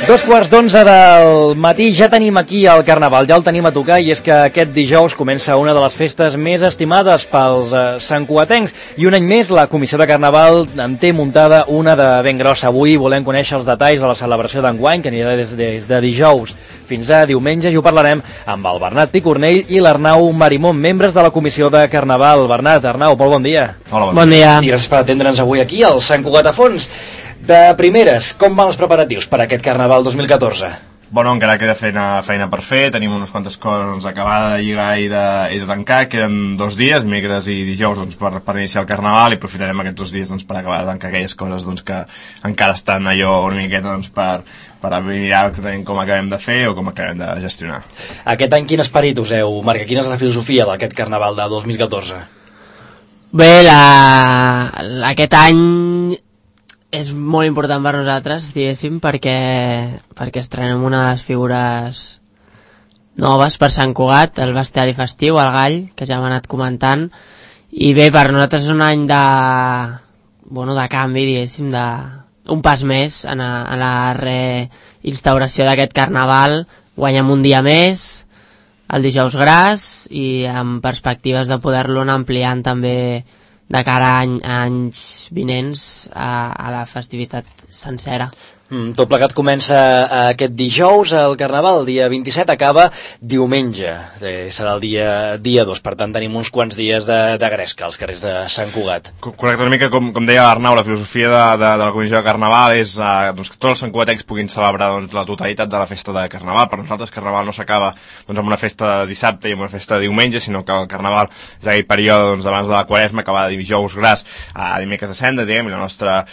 2:15 del matí, ja tenim aquí el Carnaval, ja el tenim a tocar, i és que aquest dijous comença una de les festes més estimades pels santcugatencs, i un any més la Comissió de Carnaval en té muntada una de ben grossa. Avui volem conèixer els detalls de la celebració d'enguany, que anirà des de dijous fins a diumenge, i ho parlarem amb el Bernat Picornell i l'Arnau Marimón, membres de la Comissió de Carnaval. Bernat, Arnau, molt bon dia. Hola, bon dia. I gràcies per atendre'ns avui aquí al Sant Cugat a Fons. De primeres, com van els preparatius per a aquest Carnaval 2014? Bueno, encara queda feina per fer, tenim unes quantes coses acabades de lligar i de tancar, queden 2 dies, dimecres i dijous, doncs, per iniciar el Carnaval, i aprofitarem aquests 2 dies doncs, per acabar de tancar aquelles coses doncs, que encara estan allò una miqueta doncs, per mirar exactament com acabem de fer o com acabem de gestionar. Aquest any quin esperit us heu marcat? Quina és la filosofia d'aquest Carnaval de 2014? Bé, aquest any és molt important per nosaltres, diguéssim, perquè estrenem una de les figures noves per Sant Cugat, el bestiari festiu, el gall, que ja hem anat comentant, i bé, per nosaltres és un any de canvi, diguéssim, un pas més en la reinstauració d'aquest Carnaval. Guanyem un dia més, el dijous gras, i amb perspectives de poder-lo anar ampliant també de cara a anys vinents a la festivitat sencera. Tot plegat comença aquest dijous, el Carnaval, el dia 27, acaba diumenge, serà el dia 2, per tant tenim uns quants dies de gresca als carrers de Sant Cugat. Correcte, una mica com deia l'Arnau, la filosofia de la Comissió de Carnaval és doncs, que tots els santcugatencs puguin celebrar doncs, la totalitat de la festa de Carnaval. Per nosaltres Carnaval no s'acaba doncs, amb una festa de dissabte i amb una festa de diumenge, sinó que el Carnaval és aquell període doncs, abans de la Quaresma, que va de dijous gras a dimecres de cendra, diguem, i la nostra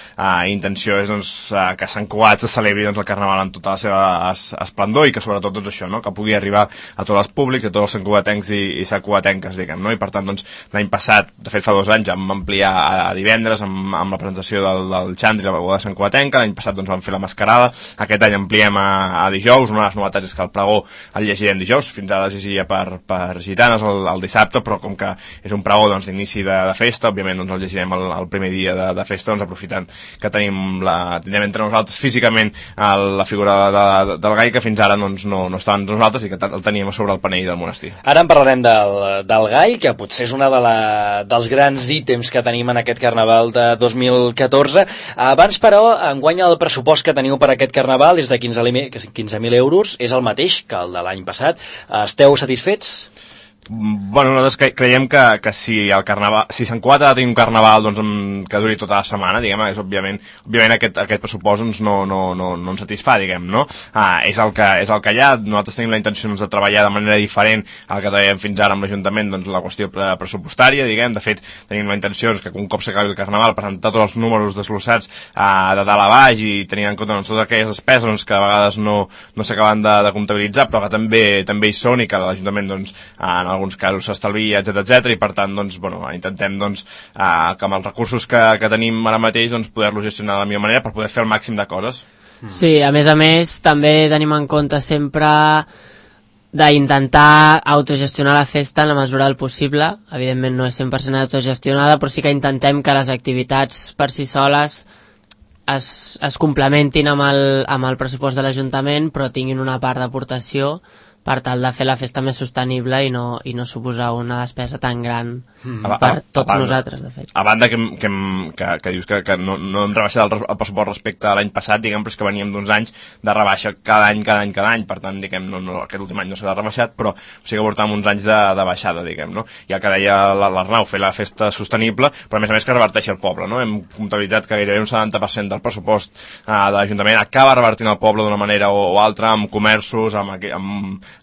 intenció és doncs, que Sant Cugat se celebri doncs, el Carnaval amb tota la seva esplendor, i que sobretot doncs, això, no? Que pugui arribar a tots els públics, a tots els santcugatencs i santcugatenques, diguem, no? I per tant doncs, l'any passat, de fet fa 2 anys, vam ampliar a divendres amb la presentació del Xandri, la beguda santcugatenca. L'any passat doncs, vam fer la mascarada, aquest any ampliem a dijous. Una de les novetats és que el pregó el llegirem dijous, fins ara es llegia per gitanes el dissabte, però com que és un pregó doncs, d'inici de festa, òbviament doncs, el llegirem el primer dia de festa, doncs, aprofitant que tindrem entre nosaltres físicament la figura del gall, que fins ara doncs, no estava entre nosaltres i que el teníem sobre el panell del monestir. Ara en parlarem del gall, que potser és una dels grans ítems que tenim en aquest Carnaval de 2014. Abans, però, enguany el pressupost que teniu per aquest Carnaval és de 15.000 euros, és el mateix que el de l'any passat. Esteu satisfets? Bueno, nosaltres creiem que si Sant Cugat ha de tenir un Carnaval doncs, que duri tota la setmana, diguem, és òbviament aquest pressupost doncs, no ens satisfà, diguem, no? És el que hi ha. Nosaltres tenim la intenció doncs, de treballar de manera diferent al que treballem fins ara amb l'Ajuntament, doncs la qüestió pressupostària, diguem. De fet, tenim la intenció que un cop s'acabi el Carnaval presentar tots els números desglossats de dalt a baix, i tenint en compte doncs, totes aquelles despeses doncs, que a vegades no s'acaben de comptabilitzar, però que també hi són, i que l'Ajuntament doncs, en alguns casos s'estalvia, etc. I per tant doncs, intentem doncs, que amb els recursos que tenim ara mateix doncs, poder-los gestionar de la millor manera per poder fer el màxim de coses. Sí, a més també tenim en compte sempre d'intentar autogestionar la festa en la mesura del possible. Evidentment no és 100% autogestionada, però sí que intentem que les activitats per si soles es complementin amb el pressupost de l'Ajuntament, però tinguin una part d'aportació per tal de fer la festa més sostenible i no suposar una despesa tan gran per tots nosaltres, de fet. A banda que dius que no hem rebaixat el pressupost respecte a l'any passat, diguem, però és que veníem d'uns anys de rebaixa cada any, per tant, diguem, aquest últim any no s'ha rebaixat, però sí que portàvem uns anys de baixada, diguem, no? I el que deia l'Arnau, fer la festa sostenible, però a més que reverteixi el poble, no? Hem comptabilitzat que gairebé un 70% del pressupost de l'Ajuntament acaba revertint el poble d'una manera o altra, amb comerços, amb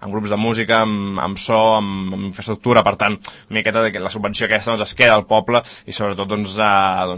grups de música, amb so, amb infraestructura. Per tant, una miqueta de la subvenció aquesta doncs, es queda al poble, i sobretot doncs,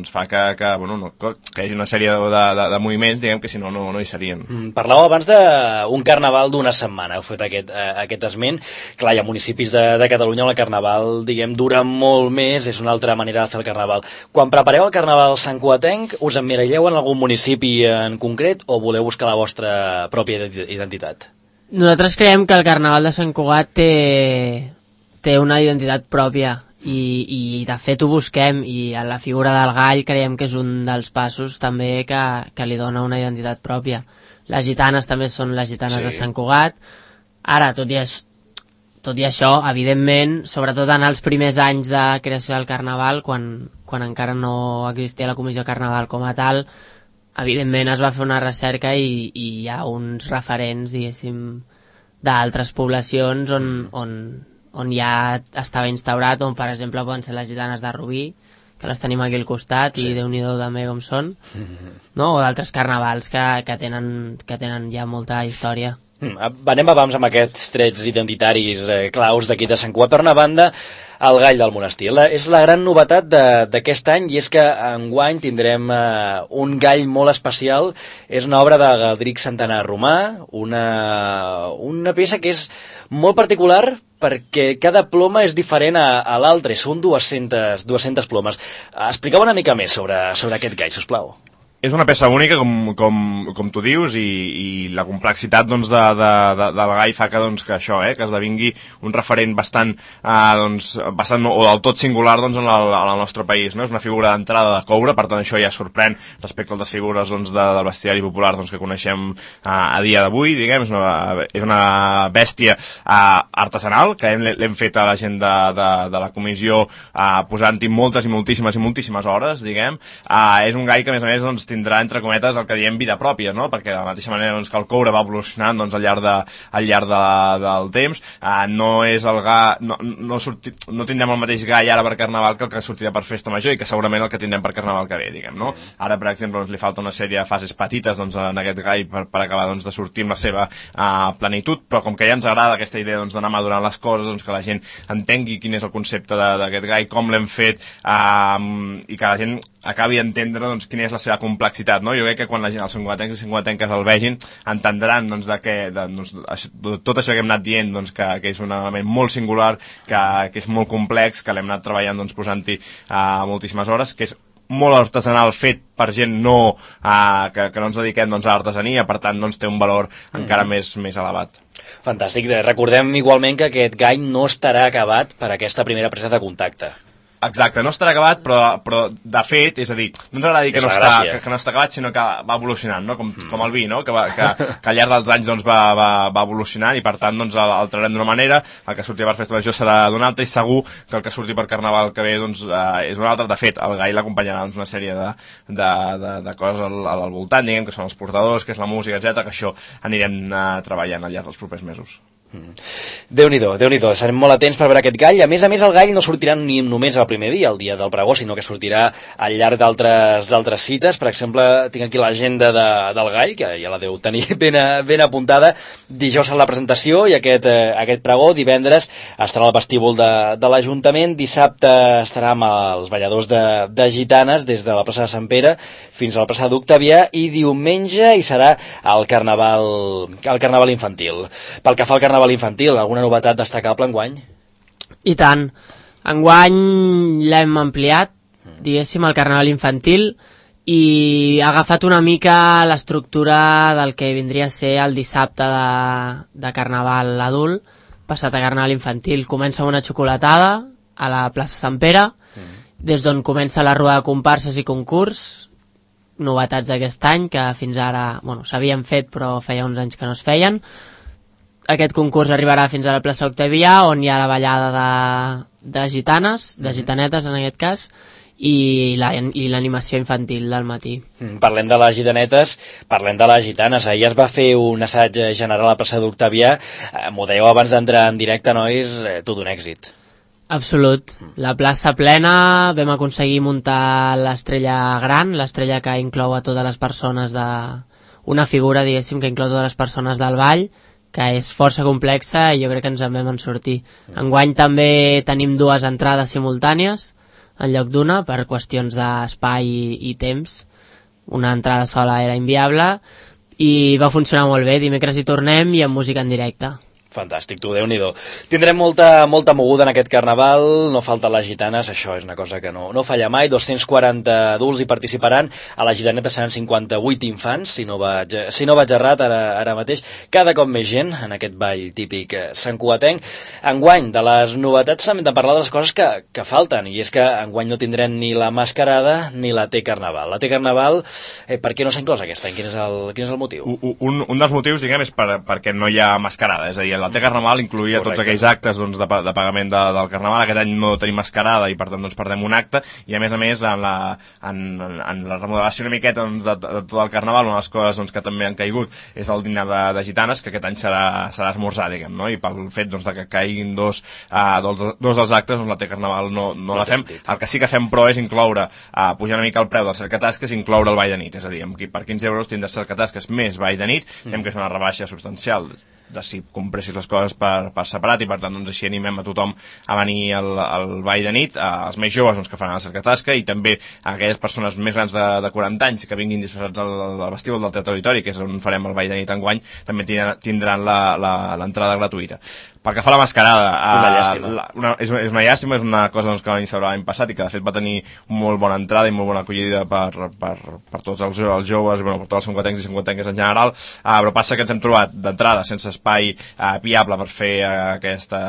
fa que hi hagi una sèrie de moviments, diguem, que si no hi serien. Parlàveu abans d'un Carnaval d'una setmana, heu fet aquest esment. Clar, hi ha municipis de Catalunya on el Carnaval, diguem, dura molt més, és una altra manera de fer el Carnaval. Quan prepareu el Carnaval santcugatenc, us emmiralleu en algun municipi en concret o voleu buscar la vostra pròpia identitat? Nosaltres creiem que el Carnaval de Sant Cugat té una identitat pròpia i de fet ho busquem, i a la figura del gall creiem que és un dels passos també que li dona una identitat pròpia. les gitanes també són les gitanes Sí. de Sant Cugat. Ara, tot i això, evidentment, sobretot en els primers anys de creació del Carnaval, quan encara no existia la Comissió Carnaval com a tal, evidentment es va fer una recerca i hi ha uns referents, diguéssim, d'altres poblacions on ja estava instaurat, on per exemple poden ser les gitanes de Rubí, que les tenim aquí al costat, i Déu-n'hi-do també com són, no? O d'altres carnavals que tenen ja molta història. Anem abans amb aquests trets identitaris claus d'aquí de Sant Cugat. Per una banda, el gall del monestir. És la gran novetat d'aquest any, i és que enguany tindrem un gall molt especial. És una obra de Galdric Santana Romà, una peça que és molt particular perquè cada ploma és diferent a l'altra. Són 200 plomes. Expliqueu una mica més sobre aquest gall, sisplau. És una peça única, com tu dius, i la complexitat doncs, del gall fa que això, que esdevingui un referent bastant o del tot singular doncs, en el nostre país. No? És una figura d'entrada de coure, per tant això ja sorprèn respecte a les figures del bestiari popular que coneixem a dia d'avui, diguem. És una bèstia artesanal, que l'hem fet a la gent de la comissió posant-hi moltes i moltíssimes hores, diguem. És un gall que, a més, tindrà, entre cometes, el que diem vida pròpia, no? Perquè de la mateixa manera que el coure va evolucionant al llarg del temps, no és el gall, no tindrem el mateix gall ara per Carnaval que el que sortirà per Festa Major, i que segurament el que tindrem per Carnaval que ve, diguem, no? Ara, per exemple, li falta una sèrie de fases petites en aquest gall per acabar de sortir amb la seva plenitud, però com que ja ens agrada aquesta idea d'anar madurant les coses, que la gent entengui quin és el concepte d'aquest gall, com l'hem fet, i que la gent acabi d'entendre quina és la seva complexitat, no? Jo crec que quan la gent, els santcugatencs i santcugatenques el vegin, entendran tot això que hem anat dient, que és un element molt singular, que és molt complex, que l'hem anat treballant posant-hi moltíssimes hores, que és molt artesanal, fet per gent que no ens dediquem a l'artesania, per tant té un valor encara més elevat. Fantàstic. Recordem igualment que aquest gall no estarà acabat per aquesta primera presa de contacte. Exacte, no estarà acabat, però de fet, és a dir, no ens agrada dir que no està acabat, sinó que va evolucionant, no? Com el vi, no? Que al llarg dels anys va evolucionant, i per tant el traurem d'una manera, el que surti per Festa Major serà d'una altra, i segur que el que surti per Carnaval que ve és una altra. De fet, el gall l'acompanyarà una sèrie de coses al voltant, diguem, que són els portadors, que és la música, etc, que això anirem treballant al llarg dels propers mesos. Déu-n'hi-do, serem molt atents per veure aquest gall. A més, el gall no sortirà ni només el primer dia, el dia del pregó, sinó que sortirà al llarg d'altres cites. Per exemple, tinc aquí l'agenda del gall, que ja la deu tenir ben apuntada. Dijous serà la presentació i aquest pregó. Divendres estarà al vestíbul de l'Ajuntament. Dissabte estarà amb els balladors de gitanes des de la plaça de Sant Pere fins a la plaça d'Octavià, i diumenge hi serà el carnaval infantil. Pel que fa al carnaval infantil, alguna novetat destacable enguany? I tant. Enguany l'hem ampliat, diguéssim, el carnaval infantil, i ha agafat una mica l'estructura del que vindria a ser el dissabte de carnaval adult, passat a carnaval infantil. Comença una xocolatada a la plaça Sant Pere, des d'on comença la roda de comparses i concurs, novetats d'aquest any, que fins ara s'havien fet però feia uns anys que no es feien. Aquest concurs arribarà fins a la plaça Octavià, on hi ha la ballada de gitanes, de gitanetes en aquest cas, i l'animació infantil del matí. Parlem de les gitanetes, parlem de les gitanes. Ahir es va fer un assaig general a la plaça d'Octavià. M'ho dèieu abans d'entrar en directe, nois, tot un èxit. Absolut. La plaça plena, vam aconseguir muntar l'estrella gran, l'estrella que inclou a totes les persones una figura, diguéssim, que inclou totes les persones del ball, que és força complexa, i jo crec que ens en vam sortir. Enguany també tenim 2 entrades simultànies en lloc d'una, per qüestions d'espai i temps. Una entrada sola era inviable, i va funcionar molt bé. Dimecres hi tornem, i amb música en directe. Fantàstic, tu, Déu-n'hi-do. Tindrem molta moguda en aquest carnaval, no falten les gitanes, això és una cosa que no falla mai, 240 adults hi participaran, a la gitaneta seran 58 infants, si no vaig errat ara mateix, cada cop més gent en aquest ball típic santcugatenc. Enguany, de les novetats, hem de parlar de les coses que falten, i és que enguany no tindrem ni la mascarada ni la T-Carnaval. La T-Carnaval, per què no s'ha inclòs aquest any? Quin és el motiu? Un dels motius, diguem, és perquè no hi ha mascarada, és a dir, la T-Carnaval incluïa tots aquells actes doncs, de pagament del Carnaval. Aquest any no tenim mascarada i per tant doncs, perdem un acte, i a més en la remodelació una miqueta doncs, de tot el Carnaval, una de les coses doncs, que també han caigut és el dinar de gitanes, que aquest any serà esmorzar, diguem, no? I pel fet doncs, de que caiguin dos dels actes, doncs, la T-Carnaval no la fem. El que sí que fem, però, és incloure, pujar una mica el preu del cercatasques, incloure el ball de nit, és a dir, per 15 euros tindràs cercatasques més ball de nit, hem que fer una rebaixa substancial de si compressis les coses per separat, i per tant doncs, així animem a tothom a venir al ball de nit, els més joves doncs, que faran la cercatasca, i també a aquelles persones més grans de 40 anys que vinguin disfressats al vestíbul del Teatre Auditori, que és on farem el ball de nit enguany, també tindran l'entrada gratuïta. Pel que fa a la mascarada, una llàstima. És una llàstima, és una cosa doncs, que va iniciar l'any passat i que de fet va tenir molt bona entrada i molt bona acollida per tots els joves, per tots els santcugatencs i santcugatenques en general, però passa que ens hem trobat d'entrada sense espai viable per fer aquesta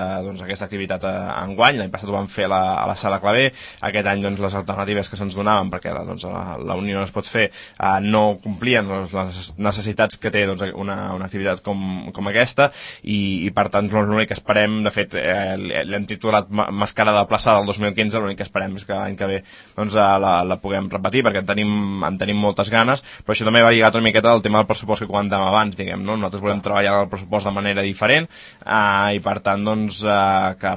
activitat enguany. L'any passat ho vam fer a la Sala Clavé, aquest any doncs, les alternatives que se'ns donaven, perquè doncs, la Unió no es pot fer, no complien les necessitats que té doncs, una activitat com aquesta, i per tant l'únic que esperem, de fet l'hem titulat Mascarada de Plaça del 2015, l'únic que esperem és que l'any que ve doncs, la puguem repetir, perquè en tenim moltes ganes, però això també va lligat una miqueta al tema del pressupost que comentàvem abans, diguem, no? Nosaltres volem treballar el pressupost de manera diferent, i per tant doncs, que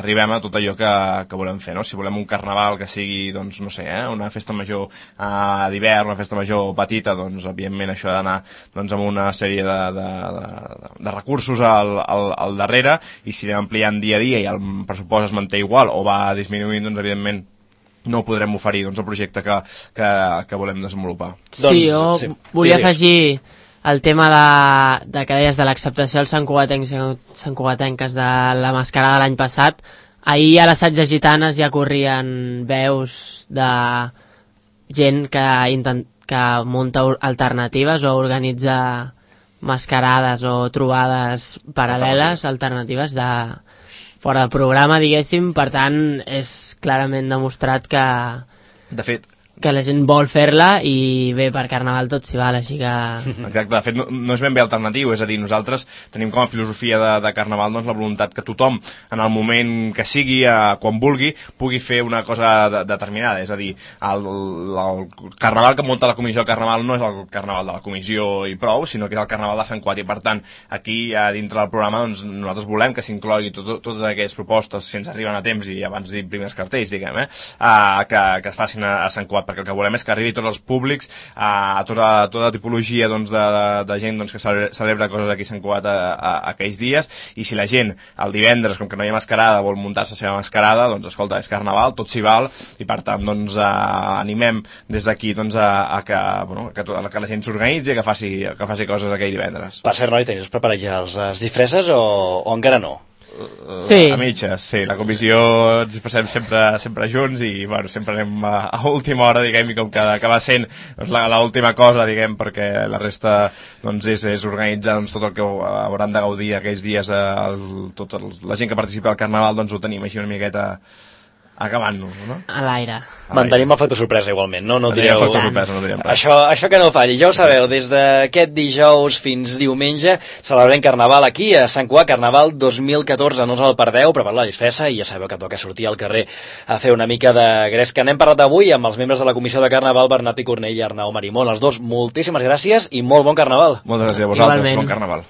arribem a tot allò que volem fer, no? Si volem un carnaval que sigui, doncs, no sé, una festa major d'hivern, una festa major petita, doncs evidentment això ha d'anar doncs, amb una sèrie de recursos al darrere, i si anem ampliant dia a dia i el pressupost es manté igual o va disminuint, doncs evidentment no podrem oferir doncs, el projecte que volem desenvolupar. Sí, jo volia afegir el tema de que deies de l'acceptació dels santcugatencs i santcugatenques de la mascarada de l'any passat. Ahir a l'assaig de gitanes ja corrien veus de gent que munta alternatives o organitza mascarades o trobades paral·leles, alternatives de fora de programa, diguéssim. Per tant, és clarament demostrat que de fet que la gent vol fer-la, i bé, per Carnaval tot s'hi val, així que... Exacte, de fet no és ben bé alternatiu, és a dir, nosaltres tenim com a filosofia de Carnaval doncs, la voluntat que tothom, en el moment que sigui, quan vulgui, pugui fer una cosa determinada, és a dir, el Carnaval que munta la comissió de Carnaval no és el Carnaval de la comissió i prou, sinó que és el Carnaval de Sant Cugat, i per tant, aquí dintre del programa doncs, nosaltres volem que s'inclogui totes aquelles propostes, si ens arriben a temps i abans de dir primers cartells, diguem, que es facin a Sant Cugat, perquè el que volem és que arribi a tots els públics, a tota tipologia doncs, de gent doncs, que celebra coses aquí a Sant Cugat aquells dies, i si la gent el divendres, com que no hi ha mascarada, vol muntar-se la seva mascarada, doncs escolta, és Carnaval, tot s'hi val, i per tant doncs, animem des d'aquí doncs, que la gent s'organitzi i que faci coses aquell divendres. Per cert, noi, teniu preparat ja les disfresses o encara no? Sí. A mitges, sí, la comissió ens passem sempre junts i bueno, sempre anem a última hora, diguem, i com que acaba sent doncs, l'última cosa, diguem, perquè la resta doncs, és organitzar doncs, tot el que hauran de gaudir aquells dies, tota la gent que participa al Carnaval, doncs ho tenim així una miqueta acabant-nos, no? A l'aire. Mantenim el factor sorpresa igualment, no? No direu... sorpresa, no direm res. Això que no falli. Ja ho sabeu, des d'aquest dijous fins diumenge celebrem Carnaval aquí a Sant Cugat, Carnaval 2014. No us el perdeu, prepareu la disfressa i ja sabeu que toca sortir al carrer a fer una mica de gresca. N'hem parlat avui amb els membres de la comissió de Carnaval, Bernat Picornell i Arnau Marimón. Els dos, moltíssimes gràcies i molt bon Carnaval. Moltes gràcies a vosaltres, Igualment. bon Carnaval.